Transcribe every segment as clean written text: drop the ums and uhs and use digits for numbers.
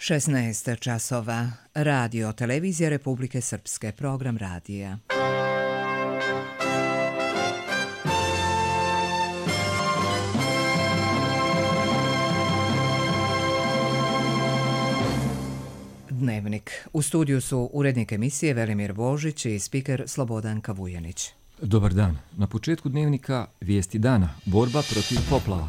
16 časova. Radio, televizija Republike Srpske, program radija. Dnevnik. U studiju su urednik emisije Velimir Božić i spiker Slobodanka Vujanić. Dobar dan. Na početku dnevnika vijesti dana. Borba protiv poplava.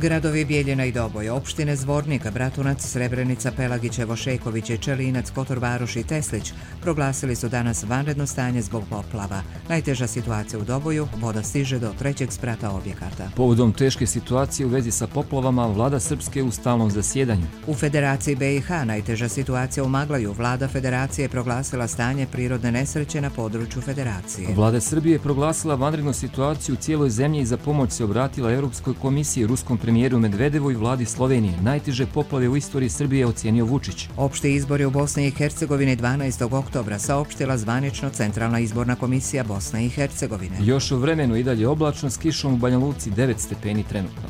Gradovi Bijeljina i Doboj, opštine Zvornika, Bratunac, Srebrenica, Pelagićevo, Šejković, Čelinac, Kotor Varoš i Teslić proglasili su danas vanredno stanje zbog poplava. Najteža situacija u Doboju, voda stiže do 3. sprata objekata. Povodom teške situacije u vezi sa poplavama, vlada Srpske u stalnom zasjedanju. U Federaciji BiH najteža situacija u Maglaju. Vlada Federacije je proglasila stanje prirodne nesreće na području Federacije. Vlada Srbije je proglasila vanrednu situaciju u cijeloj zemlji i za pomoć se obratila Europskoj komisiji, ruskom premijeru Medvedevu i vladi Slovenije. Najteže poplave u istoriji Srbije ocenio Vučić. Opšti izbori u Bosni i Hercegovini 12. oktobra saopštila zvanično Centralna izborna komisija Bosne i Hercegovine. Još u vremenu i dalje oblačno s kišom u Banja Luci 9 stepeni trenutno.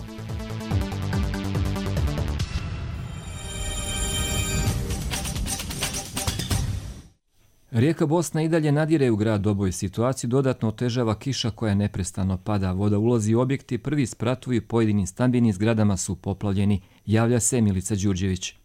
Rijeka Bosna i dalje nadire u grad Doboj. Situaciju dodatno otežava kiša koja neprestano pada. Voda ulazi u objekte, prvi spratovi u pojedinim stambenim zgradama su poplavljeni. Javlja se Milica Đurđević.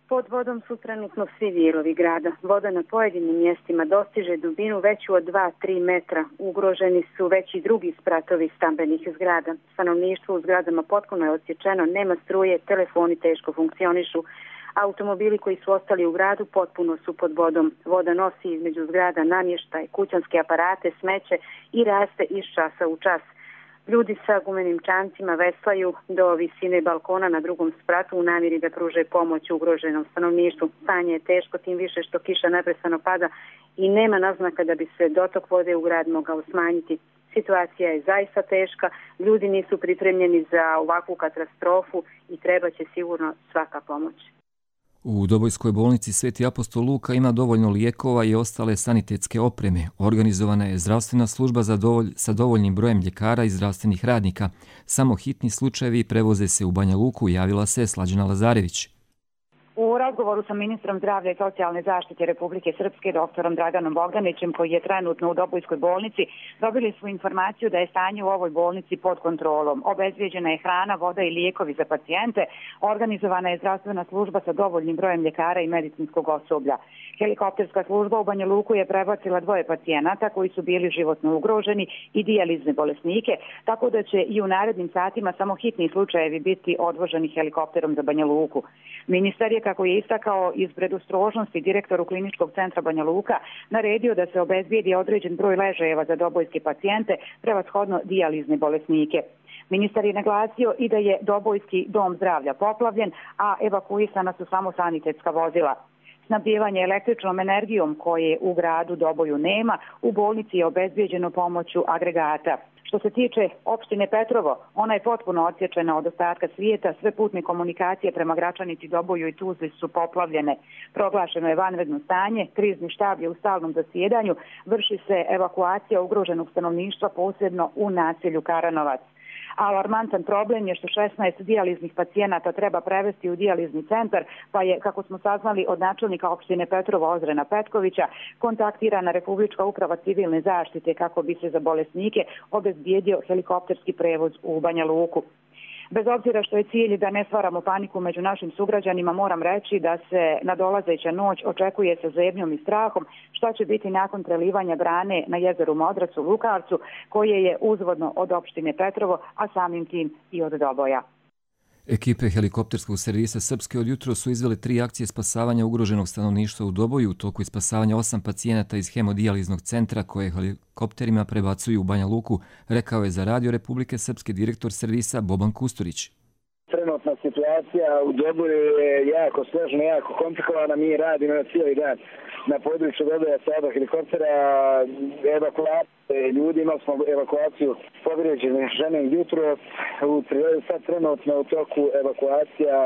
Pod vodom su trenutno svi dijelovi grada. Voda na pojedinim mjestima dostiže dubinu veću od 2-3 metra. Ugroženi su već i drugi spratovi stambenih zgrada. Stanovništvo u zgradama potpuno je odsječeno, nema struje, telefoni teško funkcionišu. Automobili koji su ostali u gradu potpuno su pod vodom. Voda nosi između zgrada namještaj, kućanske aparate, smeće i raste iz časa u čas. Ljudi sa gumenim čamcima veslaju do visine balkona na drugom spratu u namjeri da pruže pomoć ugroženom stanovništvu. Stanje je teško, tim više što kiša neprestano pada i nema naznaka da bi se dotok vode u grad mogao smanjiti. Situacija je zaista teška, ljudi nisu pripremljeni za ovakvu katastrofu i treba će sigurno svaka pomoć. U Dobojskoj bolnici Sveti apostol Luka ima dovoljno lijekova i ostale sanitetske opreme. Organizovana je zdravstvena služba sa dovoljnim brojem ljekara i zdravstvenih radnika. Samo hitni slučajevi prevoze se u Banja Luku, javila se Slađana Lazarević. U razgovoru sa ministrom zdravlja i socijalne zaštite Republike Srpske, doktorom Draganom Bogdanićem, koji je trenutno u Dobojskoj bolnici, dobili su informaciju da je stanje u ovoj bolnici pod kontrolom. Obezbijeđena je hrana, voda i lijekovi za pacijente. Organizovana je zdravstvena služba sa dovoljnim brojem ljekara i medicinskog osoblja. Helikopterska služba u Banja Luku je prebacila 2 pacijenata koji su bili životno ugroženi i dijalizne bolesnike, tako da će i u narednim satima samo hitni slučajevi biti odvoženi helikopterom za Banja Luku. Ministar je, kako je istakao iz predostrožnosti direktoru kliničkog centra Banja Luka, naredio da se obezbijedi određen broj ležajeva za dobojske pacijente, prevashodno dijalizne bolesnike. Ministar je naglasio i da je Dobojski dom zdravlja poplavljen, a evakuisana su samo sanitetska vozila. Snabdijevanje električnom energijom koje u gradu Doboju nema, u bolnici je obezbijeđeno pomoću agregata. Što se tiče opštine Petrovo, ona je potpuno odsječena od ostatka svijeta, sve putne komunikacije prema Gračanici, Doboju i Tuzli su poplavljene. Proglašeno je vanredno stanje, krizni štab je u stalnom zasjedanju, vrši se evakuacija ugroženog stanovništva, posebno u naselju Karanovac. Alarmantan problem je što 16 dijaliznih pacijenata treba prevesti u dijalizni centar, pa je, kako smo saznali od načelnika opštine Petrovo Ozrena Petkovića, kontaktirana Republička uprava civilne zaštite kako bi se za bolesnike obezbijedio helikopterski prevoz u Banja Luku. Bez obzira što je cilj da ne stvaramo paniku među našim sugrađanima, moram reći da se nadolazeća noć očekuje sa zebnjom i strahom šta će biti nakon prelivanja brane na jezeru Modracu, Lukavcu, koje je uzvodno od opštine Petrovo, a samim tim i od Doboja. Ekipe helikopterskog servisa Srpske od jutro su izvele 3 akcije spasavanja ugroženog stanovništva u Doboju. U toku je spasavanja 8 pacijenata iz hemodijaliznog centra koje helikopterima prebacuju u Banja Luku, rekao je za Radio Republike Srpske direktor servisa Boban Kusturić. Trenutna situacija u Doboju je jako složena, jako komplikovana. Mi radimo na cijeli dan na području Doboja sa oba helikoptera, evakuacije ljudi, imali smo evakuaciju povrijeđene žene jutro. Sad trenutno u toku evakuacija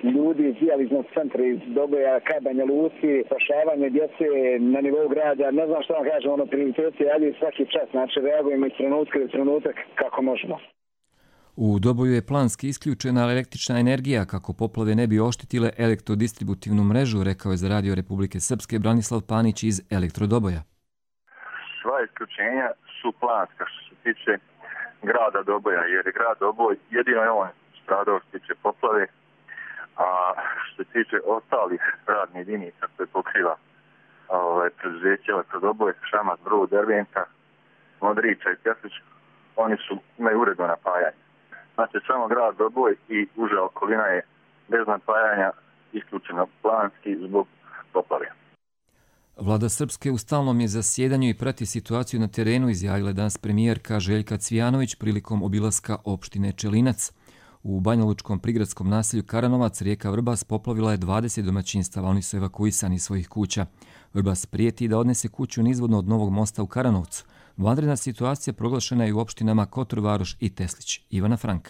ljudi iz dijaliznog centra iz Doboja ka Banja Luci, spašavanje djece na nivou grada. Ne znam što vam kažem, prioriteti ali svaki čas, znači reagujemo iz trenutka do trenutak kako možemo. U Doboju je planski isključena električna energija kako poplave ne bi oštetile elektrodistributivnu mrežu, rekao je za Radio Republike Srpske Branislav Panić iz Elektrodoboja. Sva isključenja su planska što se tiče grada Doboja, jer je grad Doboj jedino je on stradao što se tiče poplave, a što se tiče ostalih radnih jedinica koje pokriva preduzeće Elektrodoboj, Šamac, Brod, Dervenka, Modrića i Pjeslić, oni imaju uredno napajanje. Znači samo grad Doboj i uža okolina je bez napajanja isključena planski zbog poplave. Vlada Srpske u stalnom je zasjedanju i prati situaciju na terenu, izjavila danas premijerka Željka Cvijanović prilikom obilaska opštine Čelinac. U banjalučkom prigradskom naselju Karanovac rijeka Vrbas poplavila je 20 domaćinstava, oni su evakuisani iz svojih kuća. Vrbas prijeti da odnese kuću nizvodno od Novog mosta u Karanovcu. Vanredna situacija proglašena je u opštinama Kotor Varoš i Teslić. Ivana Frank.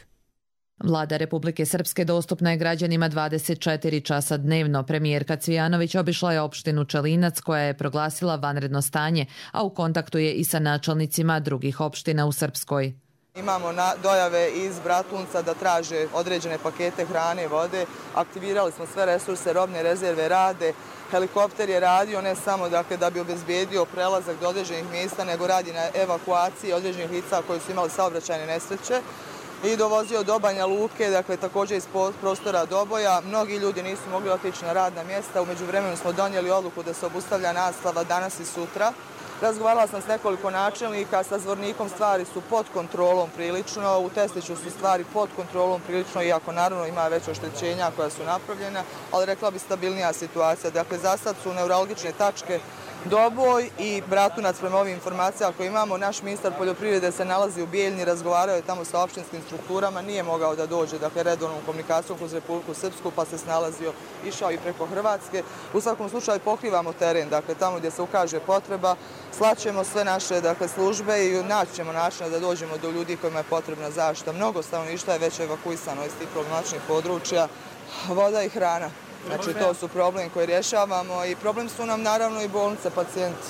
Vlada Republike Srpske dostupna je građanima 24 časa dnevno. Premijerka Cvijanović obišla je opštinu Čelinac koja je proglasila vanredno stanje, a u kontaktu je i sa načelnicima drugih opština u Srpskoj. Imamo dojave iz Bratunca da traže određene pakete hrane i vode. Aktivirali smo sve resurse, robne rezerve rade. Helikopter je radio ne samo da bi obezbijedio prelazak do određenih mjesta, nego radi na evakuaciji određenih lica koji su imali saobraćajne nesreće i dovozio do Banja Luke, također iz prostora Doboja. Mnogi ljudi nisu mogli otići na radna mjesta. U međuvremenu smo donijeli odluku da se obustavlja nastava danas i sutra. Razgovarala sam s nekoliko načelnika, sa Zvornikom stvari su pod kontrolom prilično, u Tesliću su stvari pod kontrolom prilično, iako naravno ima već oštećenja koja su napravljena, ali rekla bi stabilnija situacija. Dakle, za sad su neuralgične tačke Doboj i Bratunac prema ovim informacijama koje imamo. Naš ministar poljoprivrede se nalazi u Bijeljni, razgovarao je tamo sa opštinskim strukturama, nije mogao da dođe redovnom komunikacijom kroz Republiku Srpsku, pa se snalazio, išao i preko Hrvatske. U svakom slučaju pokrivamo teren, tamo gdje se ukaže potreba, slaćemo sve naše službe i naći ćemo načina da dođemo do ljudi kojima je potrebna zaštita. Mnogo stanovništva je već evakuisano iz tih problematičnih područja, voda i hrana. Znači, to su problemi koje rješavamo i problem su nam naravno i bolnice, pacijenti.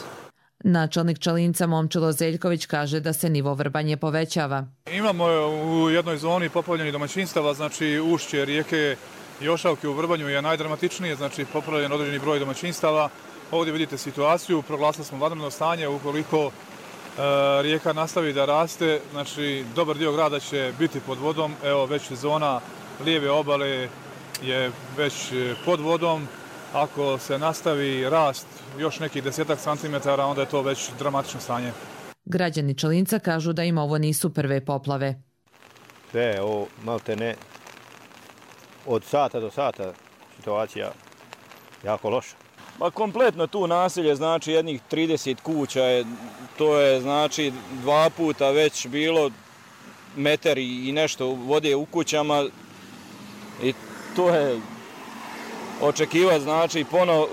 Načelnik Čelinca Momčilo Zeljković kaže da se nivo Vrbanje povećava. Imamo u jednoj zoni poplavljenih domaćinstava, znači ušće rijeke Jošavke u Vrbanju je najdramatičnije, znači poplavljen određeni broj domaćinstava. Ovdje vidite situaciju, proglasili smo vanredno stanje, ukoliko rijeka nastavi da raste, znači dobar dio grada će biti pod vodom, evo već zona lijeve obale je već pod vodom. Ako se nastavi rast još nekih 10 centimetara, onda je to već dramatično stanje. Građani Čelinca kažu da im ovo nisu prve poplave. Sve, ovo malte ne, od sata do sata situacija jako loša. Pa kompletno tu naselje, znači jednih 30 kuća, to je znači 2 puta već bilo metar i nešto vode u kućama i to je očekivati, znači ponovo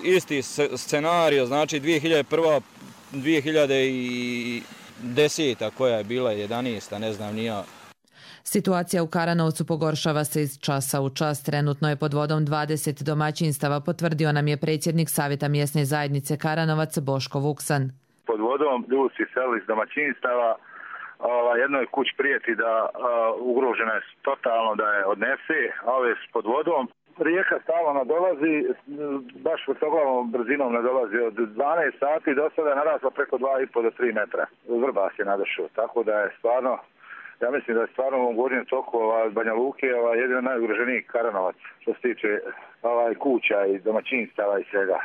isti scenario, znači 2001. 2010. koja je bila 11. ne znam ni ja. Situacija u Karanovcu pogoršava se iz časa u čas. Trenutno je pod vodom 20 domaćinstava, potvrdio nam je predsjednik Savjeta mjesne zajednice Karanovac Boško Vuksan. Pod vodom ljudi su iselili iz domaćinstava. Jednoj kući prijeti da ugrožena je totalno da je odnese, a ove su pod vodom. Rijeka stalno nadolazi, baš vrtoglavom brzinom nadolazi od 12 sati do sada je narasla preko 2,5 do 3 metra. Vrbas je nadošao, tako da je stvarno, ja mislim da je stvarno u ovom gornjem toku Banja Luke jedino najugroženiji Karanovac što se tiče kuća i domaćinstava i svega.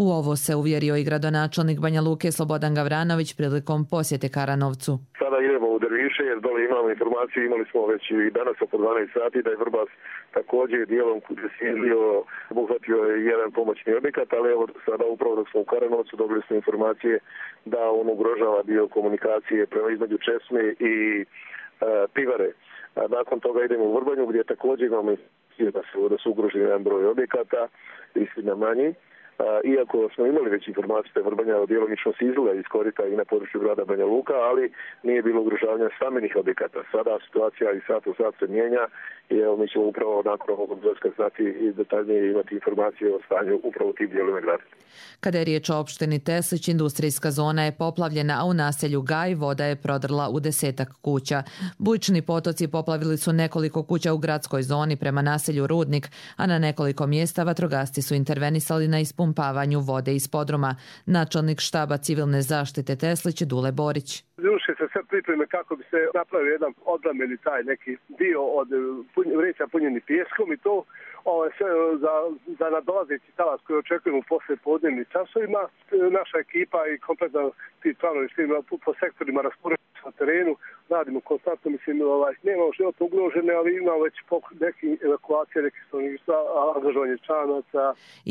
U ovo se uvjerio i gradonačelnik Banja Luke Slobodan Gavranović prilikom posjete Karanovcu. Sada idemo u Derviše jer dole imamo informaciju, imali smo već i danas oko 12 sati da je Vrbas također dijelom obuhvatio jedan pomoćni objekat, ali evo sada upravo dok smo u Karanovcu dobili smo informacije da on ugrožava dio komunikacije prema između Česme i Pivare. Nakon toga idemo u Vrbanju gdje također imamo da su ugroženi jedan broj objekata, istina manji. iako smo imali već informaciju da je Vrbanja djelomično se izlila iz korita i na području grada Banja Luka, ali nije bilo ugrožavanja stambenih objekata. Sada situacija i sat u sat se mijenja i evo mi ćemo upravo nakon ovog dolaska znati i detaljnije imati informacije o stanju upravo u tim dijelovima grada. Kada je riječ o opštini Teslić, industrijska zona je poplavljena, a u naselju Gaj voda je prodrla u 10-ak kuća. Bujični potoci poplavili su nekoliko kuća u gradskoj zoni prema naselju Rudnik, a na nekoliko mjesta vatrogasci su intervenisali na ispumpavanju vode iz podruma. Načelnik štaba civilne zaštite Teslić Dule Borić. Vrše se sve pripreme kako bi se napravio jedan odlameni taj neki dio od vreća punjeni pijeskom i to sve za nadolazeći talas koji očekujemo posle podnevnim časovima. Naša ekipa i kompletno ti planovi po sektorima raspoređeni na terenu, radimo konstantno, mislim, nemamo životno ugrožene, ali imamo već neke evakuacije, neke stanovništva, angažovanje čanaca.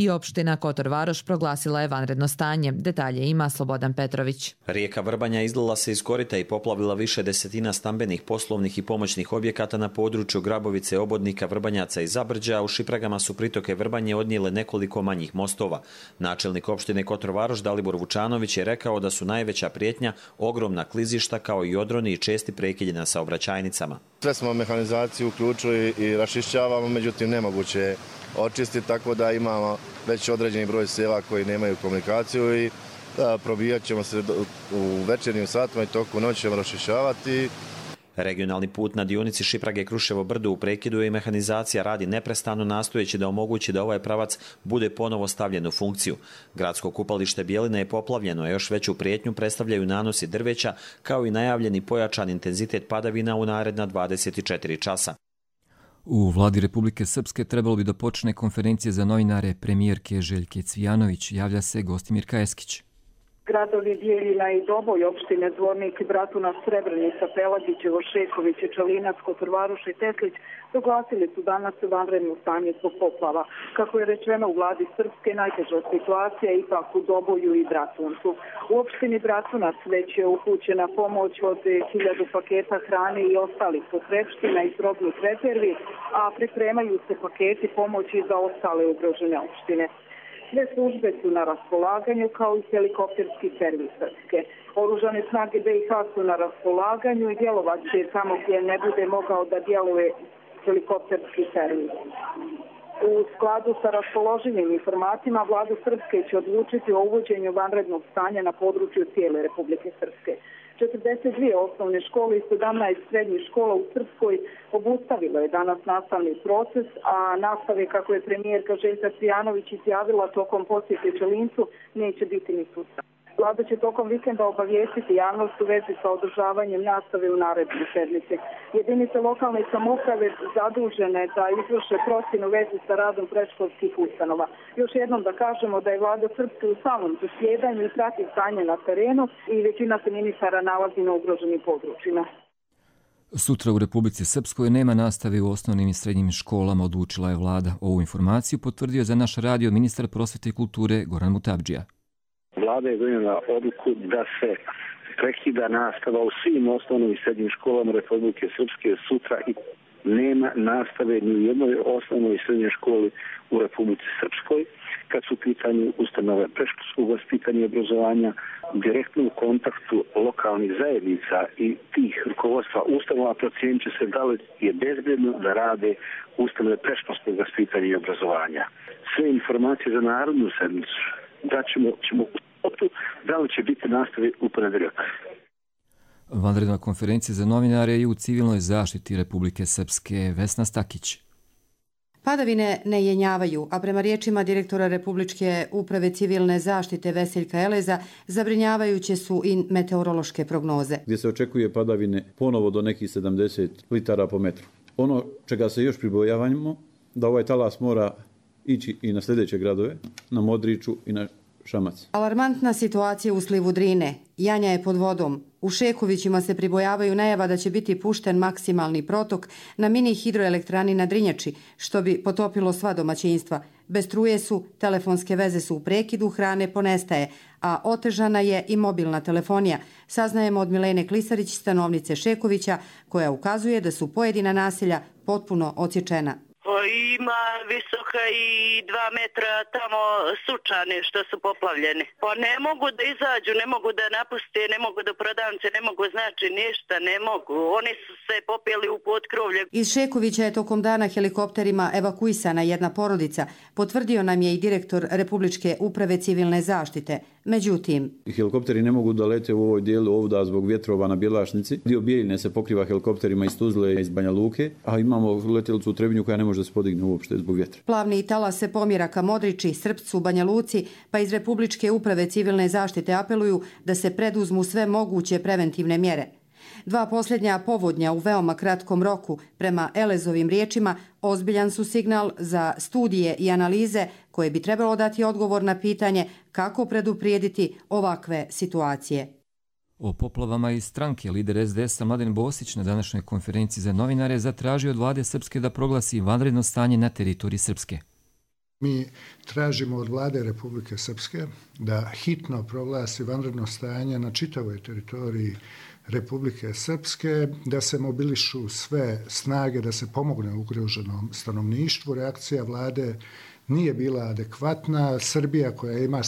I opština Kotor Varoš proglasila je vanredno stanje. Detalje ima Slobodan Petrović. Rijeka Vrbanja izlila se iz korita i poplavila više desetina stambenih, poslovnih i pomoćnih objekata na području Grabovice, Obodnika, Vrbanjaca i Zabrđa. U Šipragama su pritoke Vrbanje odnijele nekoliko manjih mostova. Načelnik opštine Kotor Varoš Dalibor Vučanović je rekao da su najveća prijetnja ogromna klizišta kao i odroni i česti prekidi na saobraćajnicama. Sve smo mehanizaciju uključili i rašišćavamo, međutim nemoguće je očistiti, tako da imamo već određeni broj sela koji nemaju komunikaciju i probijat ćemo se u večernjim satima i toku noći ćemo rašišćavati. Regionalni put na dionici Šiprage-Kruševo Brdo u prekidu i mehanizacija radi neprestano nastojeći da omogući da ovaj pravac bude ponovo stavljen u funkciju. Gradsko kupalište Bjeline je poplavljeno, a još veću prijetnju predstavljaju nanosi drveća kao i najavljeni pojačan intenzitet padavina u naredna 24 časa. U vladi Republike Srpske trebalo bi da počne konferencije za novinare premijerke Željke Cvijanović, javlja se Gostimir Eskić. Gradovi Bijeljina i Doboj, opštine Zvornik, Bratunac, Srebrenica, Pelagićevo, Šeković, Čelinac, Kotor Varoš i Teslić proglasili su danas vanredno stanje zbog poplava. Kako je rečeno u vladi Srpske, najteža situacija je ipak u Doboju i Bratuncu. U opštini Bratunac već je upućena pomoć od 1000 paketa hrane i ostalih potrepština iz robnih rezervi, a pripremaju se paketi pomoći za ostale ugrožene opštine. Sve službe su na raspolaganju kao i helikopterski servis Srpske. Oružane snage BiH su na raspolaganju i djelovat će tamo gdje ne bude mogao da djeluje helikopterski servis. U skladu sa raspoloživim informacijama, vlada Srpske će odlučiti o uvođenju vanrednog stanja na području cijele Republike Srpske. 42 osnovne škole i 17 srednjih škola u Srpskoj obustavilo je danas nastavni proces, a nastave, kako je premijerka Željka Cvijanović izjavila tokom posjete Čelincu, neće biti ni sutra. Vlada će tokom vikenda obavijestiti javnost u vezi sa održavanjem nastave u narednoj sedmici. Jedinice lokalne samouprave zadužene da izvrše procjenu u vezi sa radom predškolskih ustanova. Još jednom da kažemo da je vlada Srpske u samom zasjedanju i prati stanje na terenu i većina se ministara nalazi na ugroženim područjima. Sutra u Republici Srpskoj nema nastave u osnovnim i srednjim školama, odlučila je vlada. Ovu informaciju potvrdio za naš radio ministar prosvete i kulture Goran Mutabdžija. Vlada je donijela odluku da se prekida nastava u svim osnovnim i srednjim školama Republike Srpske sutra i nema nastave ni u jednoj osnovnoj i srednjoj školi u Republici Srpskoj. Kad su u pitanju ustanove predškolskog vaspitanja i obrazovanja, direktno u kontaktu lokalnih zajednica i tih rukovodstva ustanova procijenit će se da li je bezbjedno da rade ustanove predškolskog vaspitanja i obrazovanja. Sve informacije za narodnu sedmicu da ćemo u spotu, da li će biti nastave u ponedjeljak. Vanredna konferencija za novinare je u civilnoj zaštiti Republike Srpske. Vesna Stakić. Padavine ne jenjavaju, a prema riječima direktora Republičke uprave civilne zaštite Veseljka Eleza, zabrinjavajuće su i meteorološke prognoze. Gdje se očekuje padavine ponovo do nekih 70 litara po metru. Ono čega se još pribojavamo, da ovaj talas mora ići i na sljedeće gradove, na Modriču i na Šamac. Alarmantna situacija u slivu Drine. Janja je pod vodom. U Šekovićima se pribojavaju najava da će biti pušten maksimalni protok na mini hidroelektrani na Drinjači, što bi potopilo sva domaćinstva. Bez struje su, telefonske veze su u prekidu, hrane ponestaje, a otežana je i mobilna telefonija. Saznajemo od Milene Klisarić, stanovnice Šekovića, koja ukazuje da su pojedina naselja potpuno odsječena. ima visoka i 2 metra tamo sučani što su poplavljeni. Pa ne mogu da izađu, ne mogu da napuste, ne mogu da prodavnice, ne mogu znači ništa, ne mogu. Oni su se popeli u potkrovlje. Iz Šekovića je tokom dana helikopterima evakuisana jedna porodica, potvrdio nam je i direktor Republičke uprave civilne zaštite. Međutim, helikopteri ne mogu da lete u ovoj dijelu ovda zbog vjetrova na Bjelašnici. Dio Bijeljine se pokriva helikopterima iz Tuzle i iz Banja Luke, a imamo letjelicu u Trebinju koja ne može da se podigne uopšte zbog vjetra. Plavni talas se pomjera ka Modriči, Srpcu, Banja Luci, pa iz Republičke uprave civilne zaštite apeluju da se preduzmu sve moguće preventivne mjere. 2 posljednja povodnja u veoma kratkom roku, prema Elezovim riječima, ozbiljan su signal za studije i analize koje bi trebalo dati odgovor na pitanje kako preduprijediti ovakve situacije. O poplavama iz stranke lider SDS-a Mladen Bosić na današnjoj konferenciji za novinare zatražio od vlade Srpske da proglasi vanredno stanje na teritoriji Srpske. Mi tražimo od vlade Republike Srpske da hitno proglasi vanredno stanje na čitavoj teritoriji Republike Srpske, da se mobilišu sve snage, da se pomogne ugroženom stanovništvu. Reakcija vlade nije bila adekvatna. Srbija, koja ima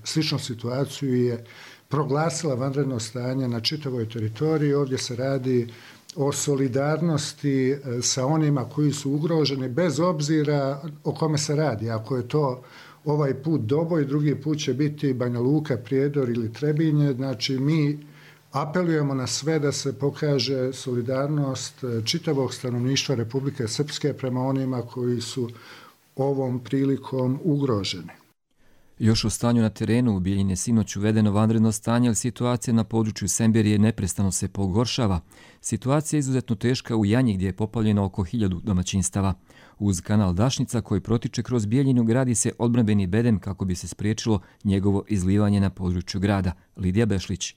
sličnu situaciju, je proglasila vanredno stanje na čitavoj teritoriji. Ovdje se radi o solidarnosti sa onima koji su ugroženi, bez obzira o kome se radi. Ako je to ovaj put Doboj, drugi put će biti Banja Luka, Prijedor ili Trebinje. Znači, mi apelujemo na sve da se pokaže solidarnost čitavog stanovništva Republike Srpske prema onima koji su ovom prilikom ugroženi. Još o stanju na terenu u Bijeljini je sinoć uvedeno vanredno stanje, ali situacija na području Semberije neprestano se pogoršava. Situacija je izuzetno teška u Janji gdje je poplavljeno oko 1000 domaćinstava. Uz kanal Dašnica koji protiče kroz Bijeljinu gradi se odbrambeni bedem kako bi se spriječilo njegovo izlivanje na području grada. Lidija Bešlić.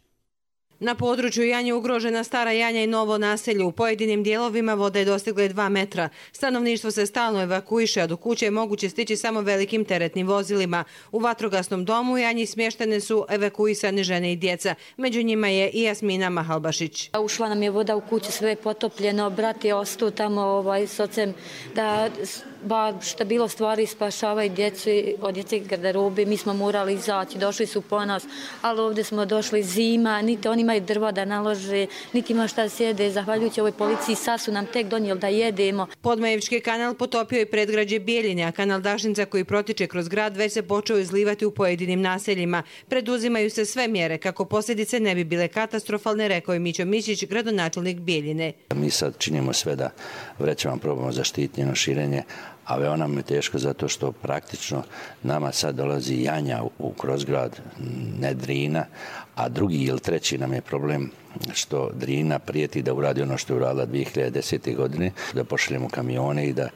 Na području Janje ugrožena Stara Janja i Novo naselje. U pojedinim dijelovima voda je dostigla 2 metra. Stanovništvo se stalno evakuiše, a do kuće je moguće stići samo velikim teretnim vozilima. U vatrogasnom domu u Janji smještene su evakuisane žene i djeca. Među njima je i Jasmina Mahalbašić. Ušla nam je voda u kuću, sve je potopljeno. Brat je ostao tamo s ocem da što bilo stvari spašavaju djecu od djece garderobe. Mi smo morali izaći, došli su po nas, ali ovdje smo došli zima, niti oni imaju drva da nalože, niti ima šta sjede. Zahvaljujući ovoj policiji sad su nam tek donijeli da jedemo. Podmajevički kanal potopio je predgrađe Bijeljine, a kanal Dašnica koji protiče kroz grad već se počeo izlivati u pojedinim naseljima. Preduzimaju se sve mjere kako posljedice ne bi bile katastrofalne, rekao je Mićo Mišić, gradonačelnik Bijeljine. Mi sad činimo sve da vrećama probamo zaštititi njeno širenje, a veoma nam je teško zato što praktično nama sad dolazi Janja kroz grad, ne Drina, a drugi ili treći nam je problem što Drina prijeti da uradi ono što je uradila 2010. godine, da pošaljemo kamione i da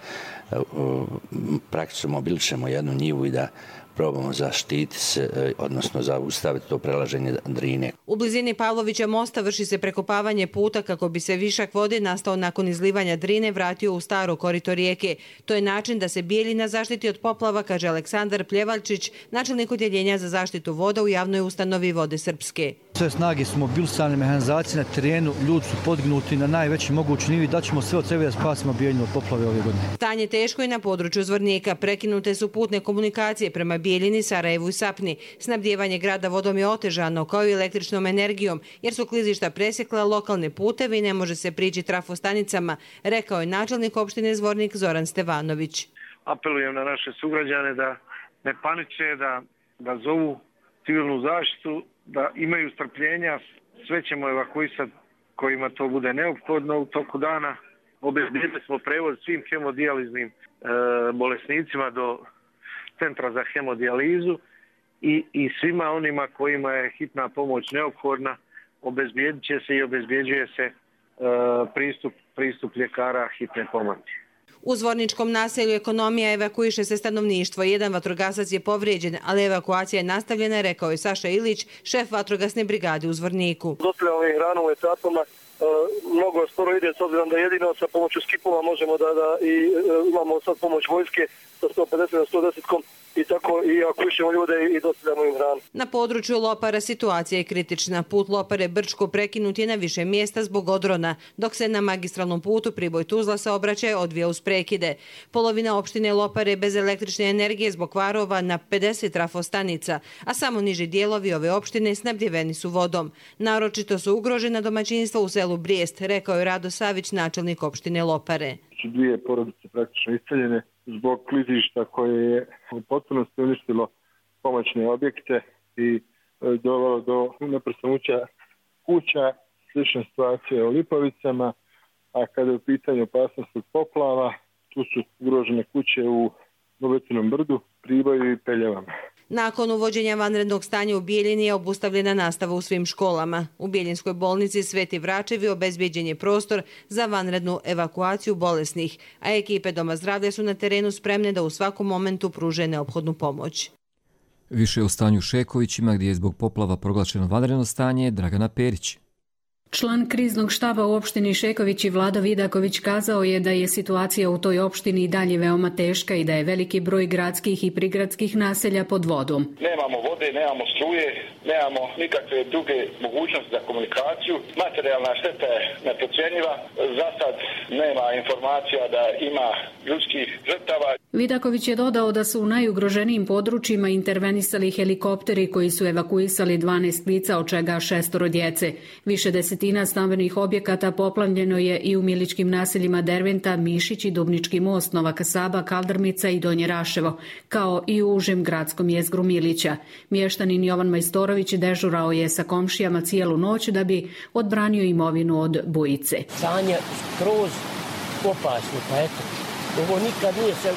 praktično mobilišemo jednu njivu i da probamo zaštiti se, odnosno zaustaviti to prelaženje Drine. U blizini Pavlovića mosta vrši se prekopavanje puta kako bi se višak vode nastao nakon izlivanja Drine vratio u staro korito rijeke. To je način da se Bijeljina zaštiti od poplava, kaže Aleksandar Pljevaljčić, načelnik odjeljenja za zaštitu voda u javnoj ustanovi Vode Srpske. Sve snage su mobilisane, mehanizacije na terenu, ljudi su podignuti na najveći mogući nivo i daćemo sve od sebe da spasimo Bijeljinu od poplave ove godine. Stanje teško je na području Zvornika. Prekinute su putne komunikacije prema Bijeljini, Sarajevu i Sapni. Snabdijevanje grada vodom je otežano, kao i električnom energijom, jer su klizišta presjekla lokalne puteve i ne može se prići trafostanicama, rekao je načelnik opštine Zvornik Zoran Stevanović. Apelujem na naše sugrađane da ne paniče, da zovu civilnu zaštitu, da imaju strpljenja, sve ćemo evakuisati kojima to bude neophodno u toku dana. Obezbjedili smo prevoz svim hemodijaliznim bolesnicima do centra za hemodijalizu i svima onima kojima je hitna pomoć neophodna obezbjedit će se i obezbjeđuje se pristup ljekara hitne pomoći. U Zvorničkom naselju Ekonomija evakuiše se stanovništvo. Jedan vatrogasac je povrijeđen, ali evakuacija je nastavljena, rekao je Saša Ilić, šef vatrogasne brigade u Zvorniku. Dotle ovim ranom etapama mnogo sporo ide, s obzirom da jedino sa pomoću skipova možemo da imamo sad pomoć vojske sa 150 na 110-kom i tako i akušemo ljude i dostavljamo im hranu. Na području Lopara situacija je kritična. Put Lopare Brčko prekinut je na više mjesta zbog odrona, dok se na magistralnom putu Priboj-Tuzla saobraćaj odvija uz prekide. Polovina opštine Lopare bez električne energije zbog kvarova na 50 trafostanica, a samo niži dijelovi ove opštine snabdjeveni su vodom. Naročito su ugrožena domaćinstva u selu Brijest, rekao je Rado Savić, načelnik opštine Lopare. 2 porodice praktično iseljene zbog klizišta koje je u potpunosti uništilo pomoćne objekte i dovelo do neprestanuća kuća, slična situacija u Lipovicama, a kada je u pitanju opasnost od poplava, tu su ugrožene kuće u Novetinom brdu, Priboju i Peljevama. Nakon uvođenja vanrednog stanja u Bijeljini je obustavljena nastava u svim školama. U Bijeljinskoj bolnici Sveti Vračevi obezbijeđen je prostor za vanrednu evakuaciju bolesnih, a ekipe Doma zdravlja su na terenu spremne da u svakom momentu pruže neophodnu pomoć. Više o stanju u Šekovićima, gdje je zbog poplava proglašeno vanredno stanje, Dragana Perić. Član kriznog štaba u opštini Šeković i Vlado Vidaković kazao je da je situacija u toj opštini i dalje veoma teška i da je veliki broj gradskih i prigradskih naselja pod vodom. Nemamo vode, nemamo struje, nemamo nikakve druge mogućnosti za komunikaciju. Materijalna šteta je neprocjenjiva. Za sad nema informacija da ima ljudskih žrtava. Vidaković je dodao da su u najugroženijim područjima intervenisali helikopteri koji su evakuisali 12 lica, od čega 6 djece. Više desetina stambenih objekata poplavljeno je i u miličkim naseljima Derventa, Mišić i Dubnički most, Nova Kasaba, Kaldrmica i Donje Raševo, kao i u užem gradskom jezgru Milića. Mještanin Jovan Majstorović dežurao je sa komšijama cijelu noć da bi odbranio imovinu od bujice. Stanje skroz opasno, pa eto, ovo nikad nije se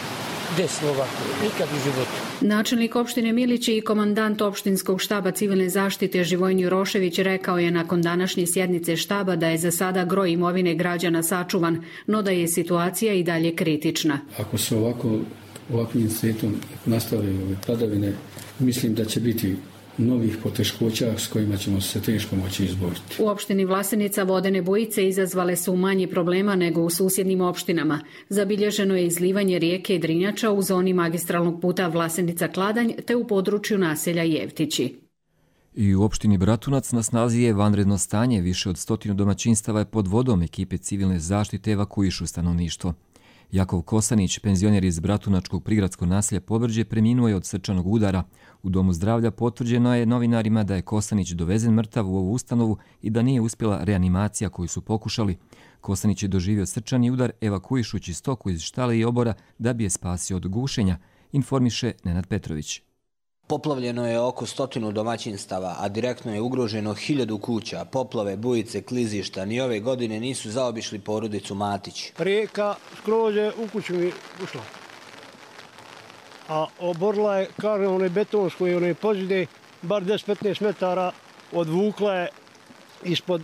desilo ovako, nikad u životu. Načelnik opštine Milići i komandant opštinskog štaba civilne zaštite Živojin Rošević rekao je nakon današnje sjednice štaba da je za sada gro imovine građana sačuvan, no da je situacija i dalje kritična. Ako se ovakvim svijetom nastavljaju ove padavine, mislim da će biti novih poteškoća s kojima ćemo se teško moći izboriti. U opštini Vlasenica vodene bujice izazvale su manje problema nego u susjednim opštinama. Zabilježeno je izlivanje rijeke Drinjača u zoni magistralnog puta Vlasenica-Kladanj te u području naselja Jevtići. I u opštini Bratunac na snazi je vanredno stanje, više od 100 domaćinstava je pod vodom, ekipe civilne zaštite evakuišu stanovništvo. Jakov Kosanić, penzioner iz Bratunačkog prigradskog naselja Pobrđe, preminuo je od srčanog udara. U domu zdravlja potvrđeno je novinarima da je Kosanić dovezen mrtav u ovu ustanovu i da nije uspjela reanimacija koju su pokušali. Kosanić je doživio srčani udar evakuišući stoku iz štale i obora da bi je spasio od gušenja, informiše Nenad Petrović. Poplavljeno je oko 100 domaćinstava, a direktno je ugroženo 1000 kuća. Poplave, bujice, klizišta ni ove godine nisu zaobišli porodicu Matić. Rijeka skroz je u kuću mi ušla. A oborila je, kažem, one betonsko i one pozide, bar 10-15 metara odvukla je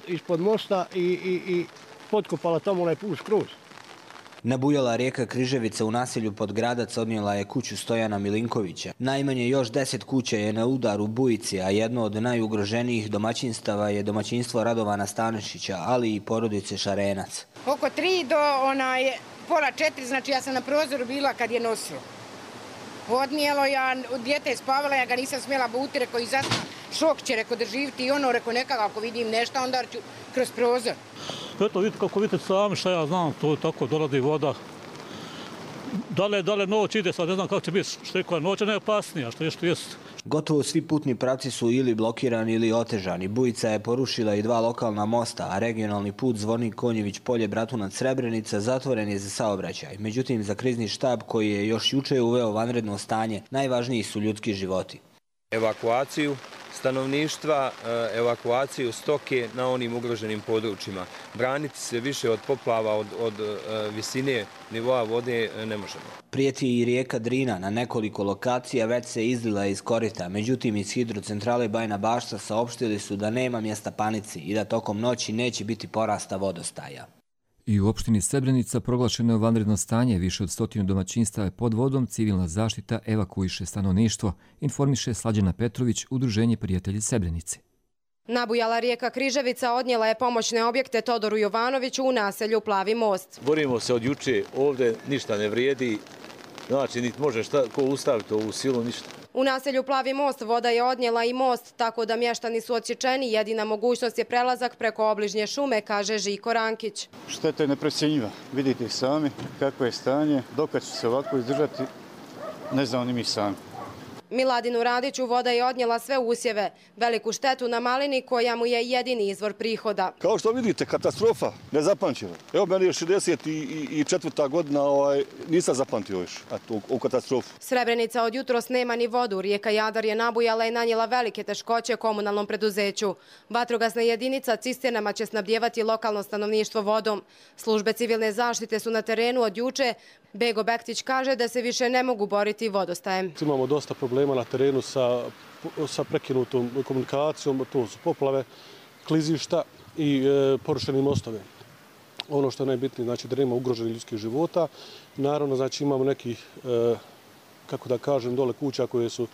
ispod mosta i potkopala tamo onaj put skroz. Nabujala rijeka Križevica u naselju Podgradac odnijela je kuću Stojana Milinkovića. Najmanje još 10 kuća je na udaru bujici, a jedno od najugroženijih domaćinstava je domaćinstvo Radovana Stanišića, ali i porodice Šarenac. Oko 3 do pola 4, znači ja sam na prozoru bila kad je nosilo. Odnijelo, ja dijete je spavala, ja ga nisam smjela buti, rekao izasna šok će, rekao doživiti i ono, rekao nekako ako vidim nešto, onda ću kroz prozor. Eto, vidite kako vidite sami šta ja znam, to je tako, dolazi voda. Dale noć ide, sad ne znam kako će biti, što je koja noć, ne je opasnija, što jest. Gotovo svi putni pravci su ili blokirani ili otežani. Bujica je porušila i 2 lokalna mosta, a regionalni put Zvornik Konjević Polje Bratunac Srebrenica zatvoren je za saobraćaj. Međutim, za krizni štab koji je još juče uveo vanredno stanje, najvažniji su ljudski životi. Evakuaciju stanovništva, evakuaciju stoke na onim ugroženim područjima. Braniti se više od poplava, od visine nivoa vode ne možemo. Prijeti i rijeka Drina, na nekoliko lokacija već se izlila iz korita. Međutim, iz hidrocentrale Bajna Bašta saopštili su da nema mjesta panici i da tokom noći neće biti porasta vodostaja. I u opštini Srebrenica proglašeno je vanredno stanje, više od 100 domaćinstava je pod vodom, civilna zaštita evakuiše stanovništvo, informiše Slađana Petrović, Udruženje prijatelji Srebrenice. Nabujala rijeka Križevica odnijela je pomoćne objekte Todoru Jovanoviću u naselju Plavi most. Borimo se od juče, ovdje ništa ne vrijedi, Znači, niti može ko ustaviti ovu silu, ništa. U naselju Plavi most voda je odnijela i most, tako da mještani su odsječeni. Jedina mogućnost je prelazak preko obližnje šume, kaže Žiko Rankić. Šteta je neprocjenjiva. Vidite sami kako je stanje. Dokad će se ovako izdržati, ne znamo ni mi sami. Miladinu Radiću voda je odnijela sve usjeve. Veliku štetu na malini koja mu je jedini izvor prihoda. Kao što vidite, katastrofa nezapamćena. Evo, meni je 64. godina, nisam zapamtio još u katastrofu. Srebrenica od jutros nema ni vodu. Rijeka Jadar je nabujala i nanijela velike teškoće komunalnom preduzeću. Vatrogasna jedinica cisternama će snabdjevati lokalno stanovništvo vodom. Službe civilne zaštite su na terenu od juče. Bego Bektić kaže da se više ne mogu boriti vodostajem. Imamo dosta problema na terenu sa prekinutom komunikacijom, to su poplave, klizišta i porušeni mostovi. Ono što je najbitnije, znači da nema ugroženih ljudskih života. Naravno, znači imamo nekih, kako da kažem, dole kuća koje su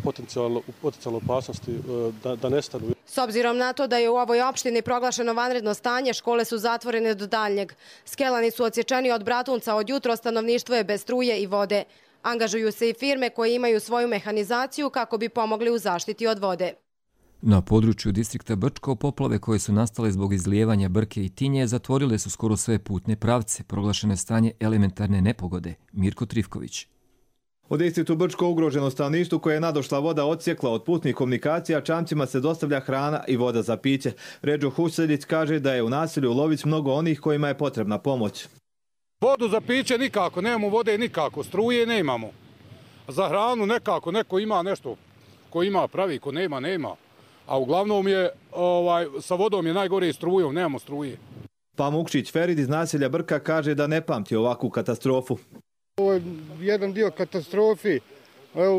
potencijalno opasnosti da nestanu. S obzirom na to da je u ovoj opštini proglašeno vanredno stanje, škole su zatvorene do daljnjeg. Skelani su odsječeni od Bratunca, od jutro stanovništvo je bez struje i vode. Angažuju se i firme koje imaju svoju mehanizaciju kako bi pomogli u zaštiti od vode. Na području distrikta Brčko poplave koje su nastale zbog izlijevanja Brke i Tinje zatvorile su skoro sve putne pravce. Proglašeno je stanje elementarne nepogode. Mirko Trifković. U distriktu Brčko ugroženo stanovništvu koje je nadošla voda odsjekla od putnih komunikacija, čamcima se dostavlja hrana i voda za piće. Ređo Huseljić kaže da je u naselju Lović mnogo onih kojima je potrebna pomoć. Vodu za piće nikako, nemamo vode nikako, struje nemamo. Za hranu nekako, neko ima nešto, ko ima pravi, ko nema, nema. A uglavnom je, sa vodom je najgore i strujom, nemamo struje. Pamukšić Ferid iz naselja Brka kaže da ne pamti ovakvu katastrofu. Ovo je jedan dio katastrofi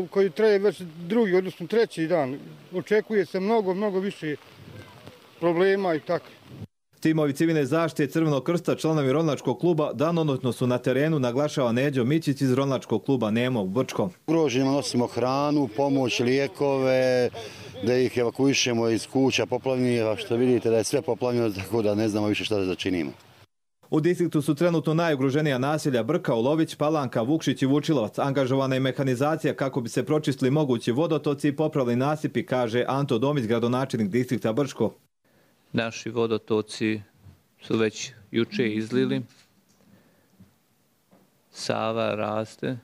koji traje već drugi, odnosno treći dan. Očekuje se mnogo više problema i tako. Timovi civilne zaštite Crvenog krsta, članovi Rolnačkog kluba, danonoćno su na terenu, naglašava Neđo Mićić iz Rolnačkog kluba Nemo u Brčkom. Ugroženima nosimo hranu, pomoć, lijekove, da ih evakuišemo iz kuća poplavljenih, a što vidite da je sve poplavljeno, tako da ne znamo više šta da začinimo. U distriktu su trenutno najugroženija naselja Brka, Ulović, Palanka, Vukšić i Vučilovac. Angažovana je mehanizacija kako bi se pročistili mogući vodotoci i popravili nasipi, kaže Anto Domić, gradonačelnik distrikta Brčko. Naši vodotoci su već juče izlili. Sava raste.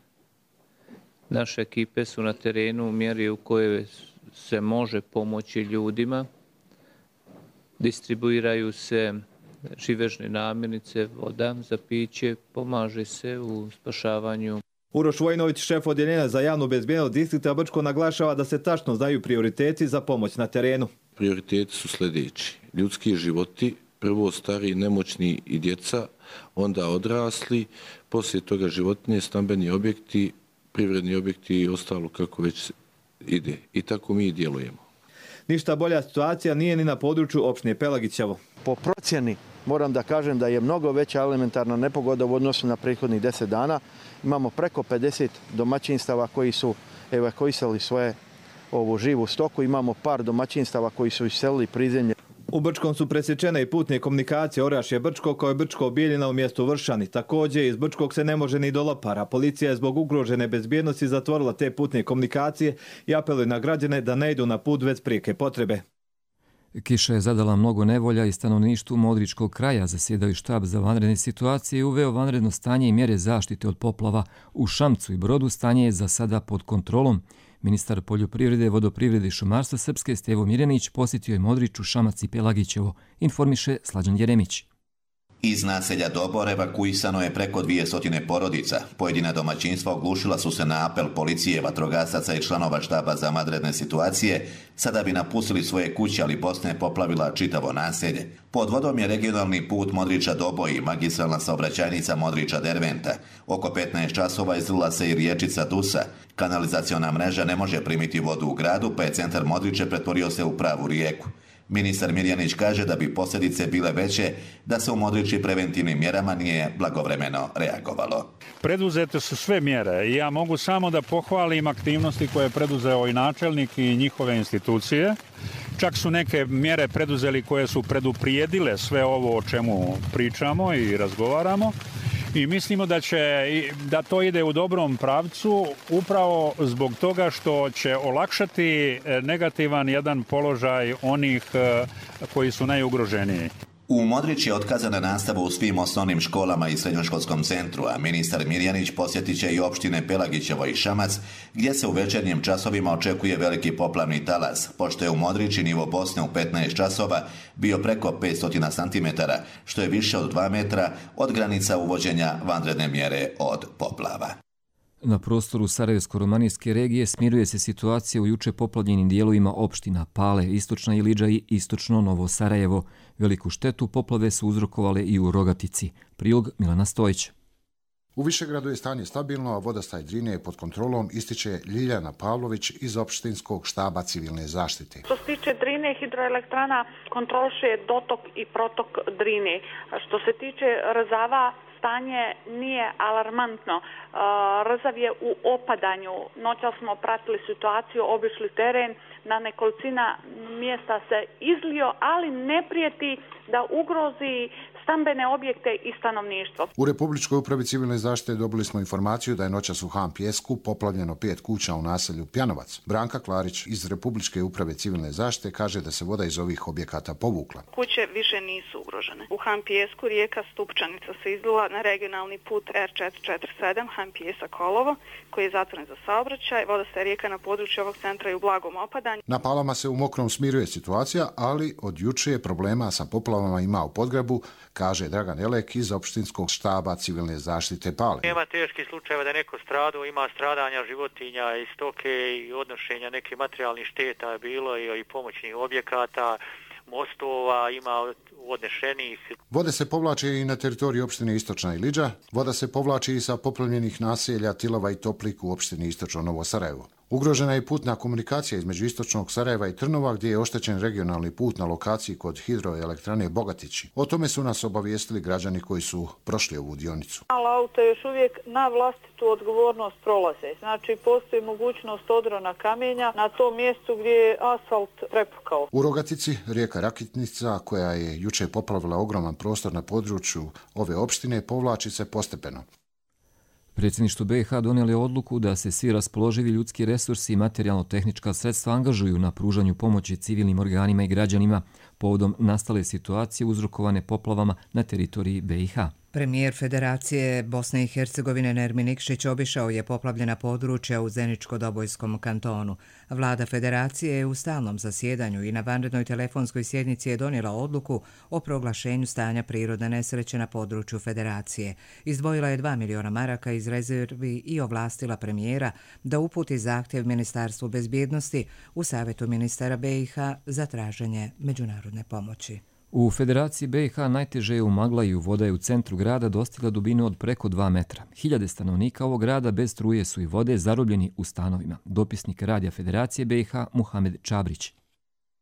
Naše ekipe su na terenu u mjeri u kojoj se može pomoći ljudima. Distribuiraju se živežne namirnice, voda za piće, pomaže se u spašavanju. Uroš Vojnović, šef odjeljenja za javnu bezbjednost distrikta Brčko, naglašava da se tačno znaju prioriteti za pomoć na terenu. Prioriteti su sljedeći. Ljudski životi, prvo stari, nemoćni i djeca, onda odrasli, poslije toga životinje, stambeni objekti, privredni objekti i ostalo kako već ide. I tako mi djelujemo. Ništa bolja situacija nije ni na području opštine Pelagićevo. Po procjeni moram da kažem da je mnogo veća elementarna nepogoda u odnosu na prethodnih 10 dana. Imamo preko 50 domaćinstava koji su evakuisali svoje živu stoku. Imamo par domaćinstava koji su iselili prizemlje. U Brčkom su presječene i putne komunikacije Orašje Brčko kao je Brčko Bijeljina u mjestu Vršani. Također iz Brčkog se ne može ni do Lopara. Policija je zbog ugrožene bezbjednosti zatvorila te putne komunikacije i apeluje na građane da ne idu na put bez prijeke potrebe. Kiša je zadala mnogo nevolja i stanovništvu Modričkog kraja. Zasjedali štab za vanredne situacije i uveo vanredno stanje i mjere zaštite od poplava. U Šamcu i Brodu stanje je za sada pod kontrolom. Ministar poljoprivrede, vodoprivrede i šumarstva Srpske Stevo Mirjanić posjetio je Modriču, Šamac i Pelagićevo, informiše Slađan Jeremić. Iz naselja Dobor evakuisano je preko 200 porodica. Pojedina domaćinstva oglušila su se na apel policije, vatrogasaca i članova štaba za vanredne situacije, sada bi napustili svoje kuće, ali Bosna poplavila čitavo naselje. Pod vodom je regionalni put Modriča-Doboj i magistralna saobraćajnica Modriča-Derventa. Oko 15 časova izlila se i riječica Dusa. Kanalizaciona mreža ne može primiti vodu u gradu, pa je centar Modriče pretvorio se u pravu rijeku. Ministar Mirjanić kaže da bi posljedice bile veće da se u Modriči preventivnim mjerama nije blagovremeno reagovalo. Preduzete su sve mjere i ja mogu samo da pohvalim aktivnosti koje je preduzeo i načelnik i njihove institucije. Čak su neke mjere preduzeli koje su preduprijedile sve ovo o čemu pričamo i razgovaramo. I mislimo da to ide u dobrom pravcu upravo zbog toga što će olakšati negativan jedan položaj onih koji su najugroženiji. U Modrić je otkazana nastava u svim osnovnim školama i srednjoškolskom centru, a ministar Mirjanić posjetit će i opštine Pelagićevo i Šamac, gdje se u večernjim časovima očekuje veliki poplavni talas, pošto je u Modrići nivo Bosne u 15 časova bio preko 500 cm, što je više od 2 metra od granica uvođenja vanredne mjere od poplava. Na prostoru Sarajevsko-romanijske regije smiruje se situacija u juče poplavljenim dijelovima opština Pale, Istočna Ilidža i Istočno Novo Sarajevo. Veliku štetu poplave su uzrokovale i u Rogatici. Prilog Milana Stojić. U Višegradu je stanje stabilno, a vodostaj Drine je pod kontrolom, ističe Ljiljana Pavlović iz opštinskog štaba civilne zaštite. Što se tiče Drine, hidroelektrana kontroliše dotok i protok Drine. Što se tiče Rzava, stanje nije alarmantno. Rzav je u opadanju. Noća smo pratili situaciju, obišli teren, na nekolicina mjesta se izlio, ali ne prijeti da ugrozi stambene objekte i stanovništvo. U Republičkoj upravi civilne zaštite dobili smo informaciju da je noćas u Han Pjesku poplavljeno 5 kuća u naselju Pjanovac. Branka Klarić iz Republičke uprave civilne zaštite kaže da se voda iz ovih objekata povukla. Kuće više nisu ugrožene. U Han Pjesku rijeka Stupčanica se izlila na regionalni put R447 Han Pjesak-Kolovo, koji je zatvoren za saobraćaj. Vodostaj rijeka na području ovog centra je u blagom opadanju. Na Palama se u Mokrom smiruje situacija, ali od juče je problema sa poplavama ima u Podgrabu, kaže Dragan Elek iz opštinskog štaba civilne zaštite Pale. Nema teških slučajeva da neko stradao, ima stradanja životinja i stoke i odnošenja nekih materijalnih šteta bilo i pomoćnih objekata, mostova, ima odnešenih. Vode se povlače i na teritoriji opštine Istočna Ilidža, voda se povlači i sa poplavljenih naselja Tilova i Toplik u opštini Istočno Novo Sarajevo. Ugrožena je putna komunikacija između Istočnog Sarajeva i Trnova, gdje je oštećen regionalni put na lokaciji kod hidroelektrane Bogatići. O tome su nas obavijestili građani koji su prošli ovu dionicu. Auto još uvijek na vlastitu odgovornost prolaze. Znači, postoji mogućnost odrona kamenja na tom mjestu gdje je asfalt prepukao. U Rogatici rijeka Rakitnica, koja je juče poplavila ogroman prostor na području ove opštine, povlači se postepeno. Predsjedništvo BiH donijelo je odluku da se svi raspoloživi ljudski resursi i materijalno-tehnička sredstva angažuju na pružanju pomoći civilnim organima i građanima povodom nastale situacije uzrokovane poplavama na teritoriji BiH. Premijer Federacije Bosne i Hercegovine Nermin Nikšić obišao je poplavljena područja u Zeničko-Dobojskom kantonu. Vlada Federacije je u stalnom zasjedanju i na vanrednoj telefonskoj sjednici je donijela odluku o proglašenju stanja prirodne nesreće na području Federacije. Izdvojila je 2 miliona maraka iz rezervi i ovlastila premijera da uputi zahtjev Ministarstvu bezbjednosti u Savjetu ministara BiH za traženje međunarodne pomoći. U Federaciji BiH najteže je u Maglaju, voda je u centru grada dostigla dubinu od preko 2 metra. Hiljade stanovnika ovog grada bez struje su i vode zarobljeni u stanovima. Dopisnik Radija Federacije BiH Muhamed Čabrić.